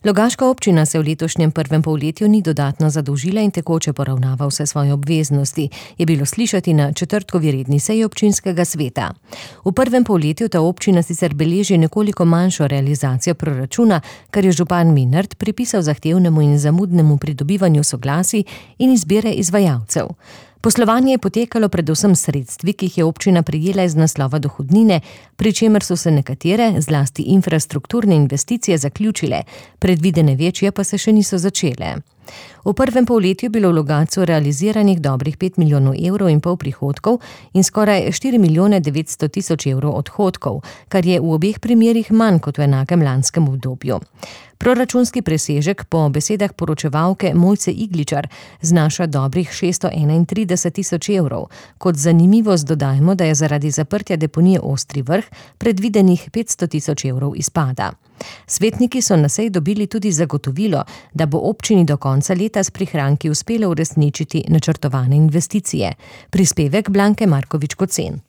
Logaška občina se v letošnjem prvem polletju ni dodatno zadolžila in tekoče poravnava vse svoje obveznosti, je bilo slišati na četrtkovi redni seji občinskega sveta. V prvem polletju ta občina sicer beleži nekoliko manjšo realizacijo proračuna, kar je župan Menard pripisal zahtevnemu in zamudnemu pridobivanju soglasij in izbire izvajalcev. Poslovanje je potekalo predvsem s sredstvi, ki jih je občina prejela iz naslova dohodnine, pri čemer so se nekatere, zlasti infrastrukturne investicije, zaključile, predvidene večje pa se še niso začele. V prvem polletju je bilo v Logatcu realiziranih dobrih 5,5 milijona prihodkov in skoraj 4,9 milijona odhodkov, kar je v obeh primerih manj kot v enakem lanskem obdobju. Proračunski presežek po besedah poročevalke Mojce Igličar znaša dobrih 631,000 €. Kot zanimivost dodajmo, da je zaradi zaprtja deponije Ostri Vrh predvidenih 500,000 € izpada. Svetniki so na seji dobili tudi zagotovilo, da bo občini do konca leta s prihranki uspelo uresničiti načrtovane investicije. Prispevek Blanke Markovič Kocen.